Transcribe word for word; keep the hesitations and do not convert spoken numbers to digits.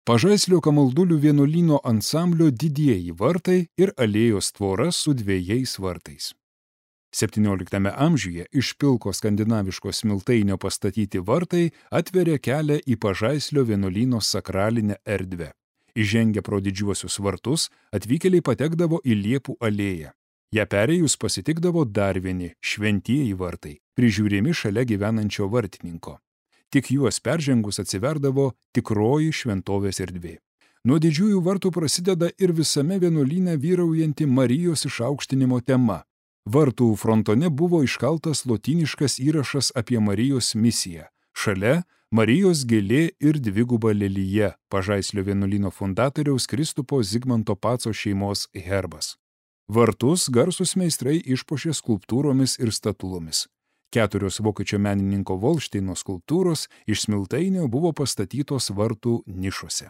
Pažaislio Kamaldulių vienuolyno ansamblio didieji vartai ir alėjos tvora su dviejais vartais. septynioliktame amžiuje iš pilko skandinaviško smiltainio pastatyti vartai atveria kelią į Pažaislio vienuolyno sakralinę erdvę. Įžengę pro didžiuosius vartus, atvykėliai patekdavo į Liepų alėją. Ja perėjus pasitikdavo dar vieni šventieji vartai, prižiūrimi šalia gyvenančio vartininko. Tik juos peržengus atsiverdavo tikroji šventovės erdvė. Nuo didžiųjų vartų prasideda ir visame vienuolyne vyraujanti Marijos išaukštinimo tema. Vartų frontone buvo iškaltas lotyniškas įrašas apie Marijos misiją. Šalia Marijos gėlė ir dviguba lelija, Pažaislio vienuolyno fundatoriaus Kristupo Zigmanto Paco šeimos herbas. Vartus garsūs meistrai išpuošė skulptūromis ir statulomis. Keturios vokiečio menininko Volšteino skulptūros iš smiltainio buvo pastatytos vartų nišose.